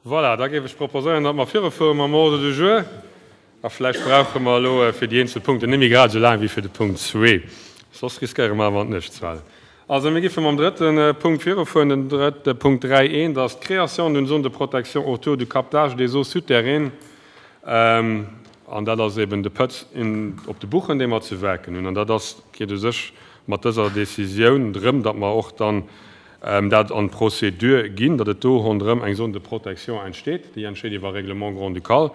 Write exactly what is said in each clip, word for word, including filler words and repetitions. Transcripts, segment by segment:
Voilà, da géif ech proposéieren, datt mer virufuere mam Ordre du jour. A vläicht brauche mer elo fir déi eenzel Punkten net méi grad esou laang wéi fir de Punkt zwee. Soss riskéiere mer awer an d'Nëscht ze falen. Also, mir géife mam drëtte Punkt virufueren, den drëtte Punkt dräi eent ass d'Création d'une zone de protection autour du captage des eaux souterraines. An dat ass eben de Pëtz op de Buchen, dee mer ze werken hunn. An dat ass, geet u sech mat dëser Décisioun drëm, datt mer och dann dat an d'Procédure ginn, datt et do ronderëm eng Zone de protection entsteet. Déi entsteet iwwer Règlement grand-ducal.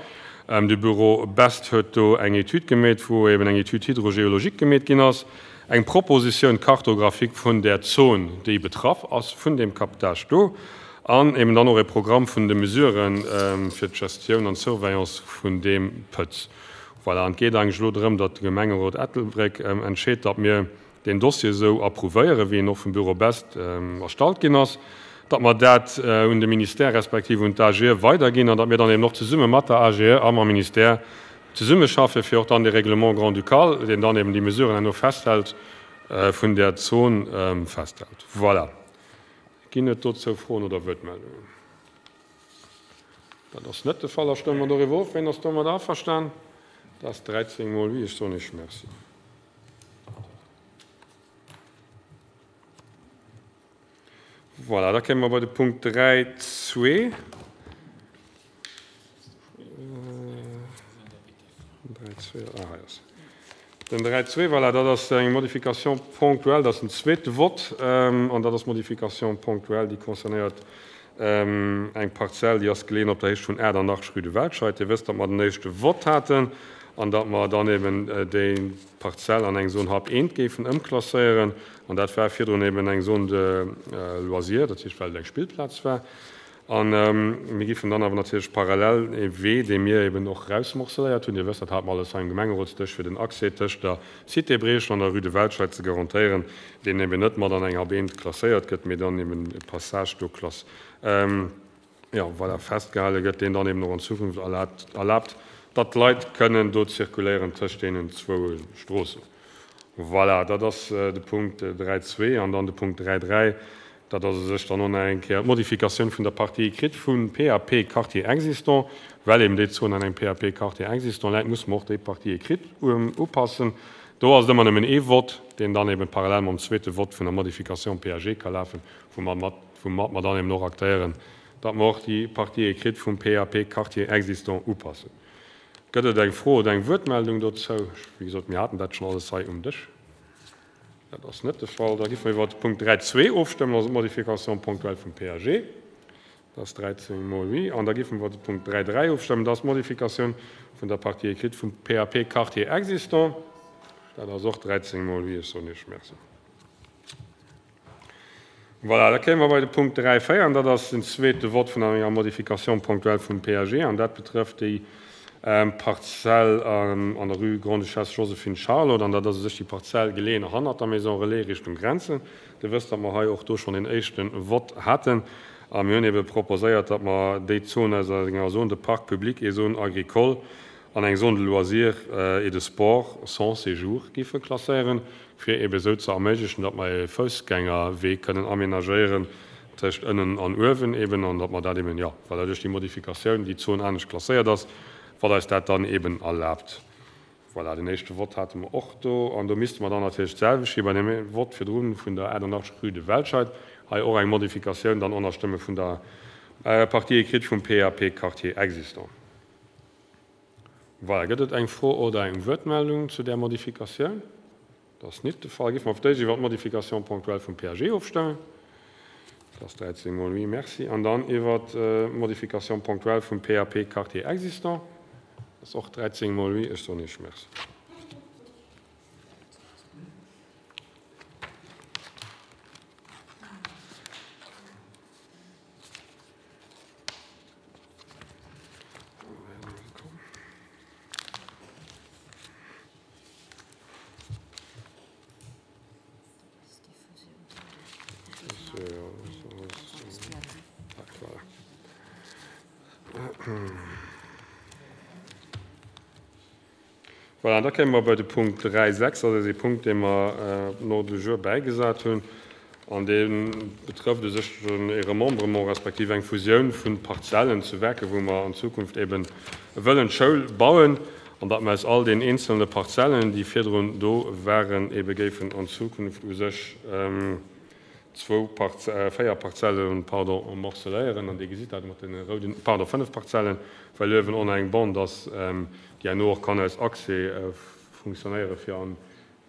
De Bureau Best huet do eng Etüd gemeet, wou eben eng Étude hydrogéologique gemeet ginn ass, eng Proposition cartographique vun där Zon, déi betraff ass vun deem Captage do, an eben dann och e Programm vun de Mesuren fir d'Gestioun an d'Surveillance vun deem Pëtz. Voilà, an et geet eigentlech elo drëm, datt de Gemengerot Ettelbréck entscheet, datt mir deen Dossier esou approuvéieren, wéi en och vum Bureau Best erstallt ginn ass, datt mer dat un de Ministère respektiv un d'AGE weiderginn an datt mir dann eben och zesumme mat der AGE a mam Ministère zesummeschaffen, fir och dann dee Règlement grand-ducal, deen dann eben déi Mesuren herno festhält, vun där Zon festhält. Voilà. Ginn et dozou Froen oder Wuertmeldungen? Dat ass net de Fall. Da stëmme mer doriwwer of. Ween ass domat averstan? Dat ass dräizéng mol oui. Ech soen Iech Merci. Voilà, da kéime mer bei de Punkt dräi zwee. Dräi zwee, ah, hei ass den dräi zwee. Voilà, dat ass eng Modification ponctuelle, dat ass den zweete Vott, an dat ass d'Modification ponctuelle, déi concernéiert eng Parzell, déi ass geleeën op der Héicht vun aachtannachtzeg Rue de Welscheid. Dir wësst, datt mer den éischte Vott haten an datt mer dann eben déi Parzell an eng Zone Hub eent géifen ëmklasséieren. An dat war virdrun eben eng Zone de loisirs, dat heescht, well et eng Spillplaz war. A mir géifen dann awer natierlech parallel ee Wee, dee mir eben och erausmorceléiert hunn, Dir wësst, dat hate mer alles hei um Gemengerotsdësch, fir den Accès tëscht der Cité Briechen an der Rue de Welscheid ze garantéieren, deen eben net mat an eng Hub eent klasséiert gëtt, mee dann eben e Passage do klass, jo, voilà, festgehale gëtt, deen dann eben och an Zukunft erlaabt, erlaabt, datt d'Leit kënnen do zirkuléieren tëscht deenen zwou Stroossen. Voilà, dat ass de Punkt dräi zwee. An dann de Punkt dräi dräi, dat ass u sech dann och nach eng Kéier d'Modifikatioun vun der Partie écrite vum P A P Quartier existant. Well eben déi Zon an engem P A P Quartier existant läit, musse mer och déi Partie écrite upassen. Do ass et ëmmer nëmmen ee Vott, deen dann eben parallel mam zweete Vott vun der Modification P A G ka lafen, wou mer mat, woumat mer dann eben och aktéieren, datt mer och déi Partie écrite vum P A P Quartier existant upassen. Gëtt et eng Fro oder eng Wuertmeldung dozou? Wéi gesot, mir haten dat schonn alles hei um Dësch. Dat ass net de Fall. Da géife mer iwwer de Punkt dräi zwee ofstëmmen, also d'Modification ponctuelle vum P A G. Dat ass dräizéng mol oui. An da géife mer iwwer de Punkt dräi dräi ofstëmmen, dat ass d'Modifikatioun vun der Partie écrite vum P A P Quartier existant. Dat ass och dräizéng mol oui. Ech soen Iech Merci. Voilà, da kéime mer bei de Punkt dräi véier, an dat ass den zweete Vott vun enger Modification ponctuelle vum P A G, an dat betrëfft déi Parzell an der Rue Grande-Duchesse Joséphine Charlotte, an dat ass u sech déi Parzell geleeën hannert der Maison Relais Richtung Grenze. Dir wësst, datt mer hei och do schonn een éischte Vott haten, a mir hunn ebe proposéiert, datt mer déi Zon aus enger Zone de parc public et zone agricole an eng Zone de loisirs et de sport sans séjour géife klasséieren, fir ebe esou ze erméiglechen, datt mer e Foussgängerwee kënnen aménagéieren tëscht ënnen an uewen eben, an datt mer dat eben, jo, well duerch déi Modifikatioun déi Zon anescht klasséiert ass, wat eis dat dann eben erlaabt. Voilà, den éischte Vott hate mer och do, an do misste mer dann natierlech d'selwecht wéi bei dem Vott virdrun vun der aachtannachtzeg Rue de Welscheid hei och eng Modifikatioun dann ënnerstëmme vun der Partie écrite vum P A P Quartier existant. Voilà, gëtt et eng Fro oder eng Wuertmeldung zu där Modifikatioun? Dat ass nit de Fall. Géife mer op d'éischt iwwer d'Modification ponctuelle vum P A G ofstëmmen. Dat ass dräizéng mol oui, merci. An dann iwwer d'Modification ponctuelle vum P A P Quartier existant. Dat ass och dräizéng mol oui. Ech soen Iech Merci. Voilà, da kéime mer bei de Punkt dräi sechs, dat ass ee Punkt, dee mer op den Ordre du jour bäigesat hunn. An dee betrëfft u sech e Remembrement respektiv eng Fusioun vu Parzellen zu Werken, wou mer an Zukunft eben wëllen d'Schoul bauen an datt mer aus all den eenzelne Parzellen, déi virdrun do waren, ebe géifen an Zukunft u sech zwou véier Parzellen, pardon, morceléieren. An Dir gesitt dat mat deene rouden, pardon, fënnef Parzellen, well uewen och nach eng Bande ass, déi herno och kann als Accès funktionéiere fir an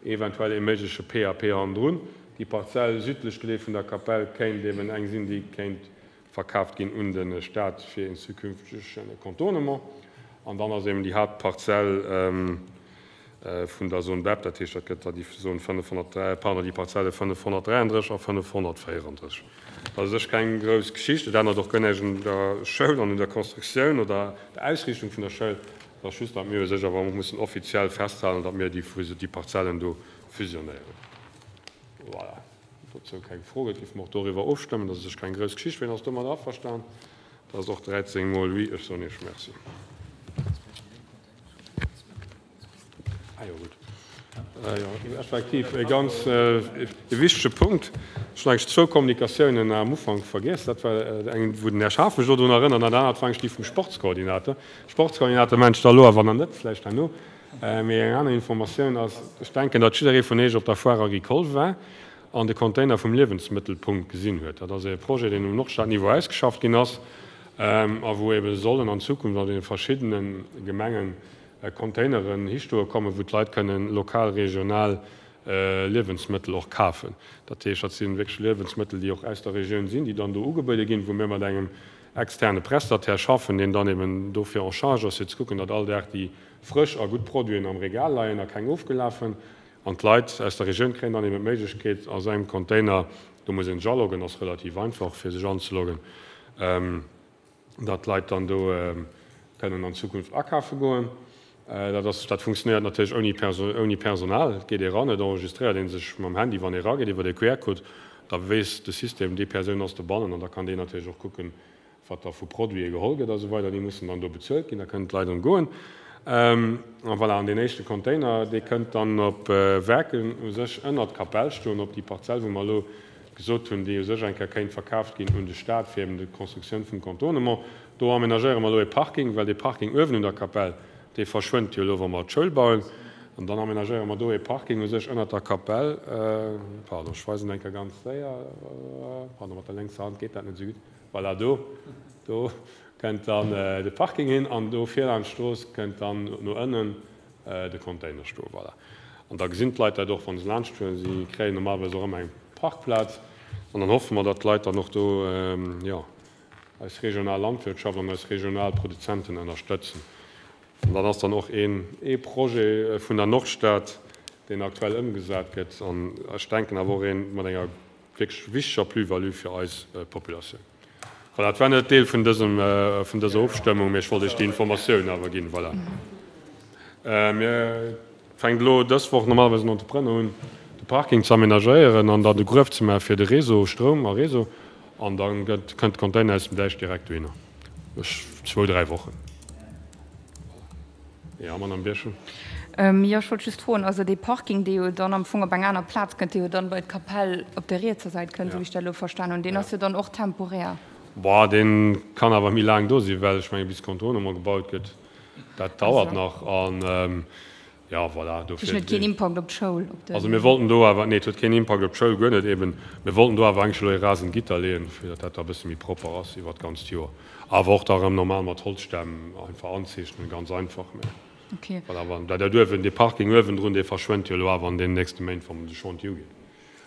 eventuell ee méigleche P A P hannendrun. Déi Parzell südlech geleeë vun der Kapell kéint eben eng sinn, déi kéint verkaaft ginn un de Staat fir een zukünftege Contournement. An dann ass eben déi Haaptparzell vun der Zone B E P, dat heescht, dat gëtt da déi Zone fënnefhonnert, pardon, déi Parzelle fënnefhonnertdräiandrësseg a fënnefhonnertvéierandrësseg. Dat ass u sech keng grouss Geschicht. Et ännert och guer näischt un der Schoul an un der Constructioun oder der Ausriichtung vun der Schoul. Et ass just, datt mir u sech awer och mussen offiziell festhalen, datt mir déi Parzellen do fusionéieren. Voilà. Dozou keng Fro gëtt, géife mer och doriwwer ofstëmmen. Dat ass u sech keng grouss Geschicht. Wien ass domadder averstan? Dat ass och dräizéng mol oui. Ech soen Iech Merci. Ah jo, gutt. Jo, effektiv e ganz e wichtege Punkt. Ech hunn eigentlech zwou Kommunikatiounen am Ufank vergiess. Dat war eng, wou den Här Schaaf mech elo drun erënnert, an dat anert war eigentlech déi vum Sportskoordinator. Sportskoordinator mengt ech da elo awer nach net, vläicht herno. Mee eng aner Informatioun ass, ech denken, datt jidderee vun Iech op der Foire Agricole war an de Container vum Liewensmëttelpunkt gesinn huet. Dat ass e Projet, deen um Nordstadniveau ausgeschafft ginn ass a wou ebe sollen an Zukunft an deene verschiddene Gemengen Containeren histoe kommen, wou d'Leit kënnen lokal, regional Liewensmëttel och kafen. Dat heescht, dat si wierklech Liewensmëttel, déi och aus der Regioun sinn, déi dann do ugebuede ginn, wou mir mat engem externe Prestataire schaffen, deen dann eben dofir en charge ass, fir ze kucken, datt all Dag déi frësch a gutt Produiten am Regal leien a keng ofgelafen. An d'Leit aus der Regioun kréien dann eben d'Méiglechkeet, a sou engem Container, do muss een sech aloggen, ass relativ einfach fir sech anzeloggen, datt d'Leit dann do kënnen an Zukunft akafe goen. Dat ass, dat funktionéiert natierlech ouni ouni Personal. Et geet ee ran, et enregistréiert ee sech mam Handy, wann ee rageet, iwwer e Q R-Code. Da weess de System, déi Persoun ass dobannen an da kann deen natierlech och kucken, wat da vu Produite geholl gëtt a sou weider. Déi mussen dann do bezuelt ginn, da kënnen d'Leit erëm goen. A voilà, an deen éischte Container, dee kënnt dann op Werken u sech ënnert d'Kapell stoen, op déi Parzell, wou mer elo gesot hunn, déi u sech eng Kéier kéint verkaaft ginn un de Staat fir eben d'Constructioun vum Contournement. Do amenagéiere mer elo e Parking, well dee Parking uewen un der Kapell, dee verschwënnt jo elo, wa mer d'Schoul bauen. An dann amenagéiere mer do e Parking u sech ënnert der Kapell. Pardon, ech weisen eng Kéier ganz séier. Pardon, mat der lénkser Hand geet dat net esou gutt. Voilà, do, do kënnt dann de Parking hin an do vir an d'Strooss kënnt dann no ënnen de Container stoen. Voilà. An da gesinn d'Leit dat och, wa se laanscht fueren. Si kréien normalerweis och ëmmer eng Parkplaz. An dann hoffe mer, datt d'Leit dann och do, jo, eis regional Landwirtschaft an eis regional Produzenten ënnerstëtzen. An dat ass dann och een ee Projet vun der Nordstad, deen aktuell ëmgesat gëtt, an ech denken awer och een mat enger wierklech wichteger Plus-value fir eis Populatioun. Voilà, dat war net Deel vun dësem, vun dëser Ofstëmmung, mee ech wollt Iech déi Informatioun awer ginn. Voilà. Mir fänkt elo dës Woch normalerweis en Entrepreneur un, de Parking ze amenagéieren an dann de Gruef ze maache fir de Réseau, Stroum a Réseau, an da gëtt, kënnt de Container aus dem Däich direkt dohinner. Ech, zwou, dräi Wochen. Ja, Madame Birchen. Jo, ech wollt just froen, also dee Parking, dee jo dann am Fong op eng aner Plaz kënnt, dee jo dann bei d'Kapell op der rietser Säit kënnt, esou wéi ech dat elo verstan hunn, deen ass jo dann och temporär. Boah, dee kann awer méi laang do sinn, well ech menge bis d'Contournement gebaut gëtt, dat dauert nach an ja, voilà, dofir. Dat huet keen Impakt op d'Schoul, op de. Also mir wollten do awer, nee, et huet keen Impakt op d'Schoul, guer net eben. Mir wollten do awer eigentlech elo ee Rasengitter leeën, fir datt dat da e bësse méi propper ass iwwert d'ganzt Joer. Awer och da erëm normal mat Holzstämm einfach anzeechnen, ganz einfach. Mä voilà, wann dat uewen, dee Parking uewendrun, dee verschwënnt jo elo awer an deenen nächste Méint, wa mer de Chantier uginn.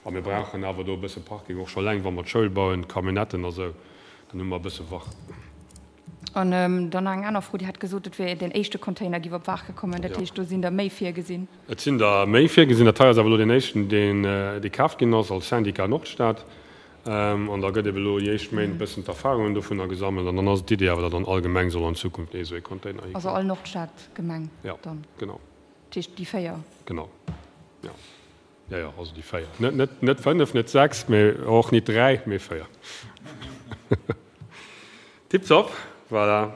A mir brauchen awer do e bësse Parking, och scho eleng wa mer d'Schoul bauen, d'Camionnetten a sou, dann hu mer e bësse Wach. An dann nach eng aner Fro, Dir hat gesot, et wier deen éischte Container giff op Waarke kommen, dat heescht, do sinn der méi virgesinn? Et sinn der méi virgesinn. Dat hei ass awer elo deen éischten, deen dee kaaft ginn ass als Syndicat Nordstad. An da gëtt ebe elo déi éischt Méint e bëssen d'Erfahrungen dovunner gesammelt. An dann ass et d'Idee awer, datt an all Gemeng soll an Zukunft ee sou ee Container hikréien. Also all Nordstadgemeng dann? Ja, genau. Dat heescht déi véier? Genau, ja. Jo, jo, also déi véier. Net, net, net fënnef, net sechs, mee och nit dräi, mee véier. Tiptop, voilà.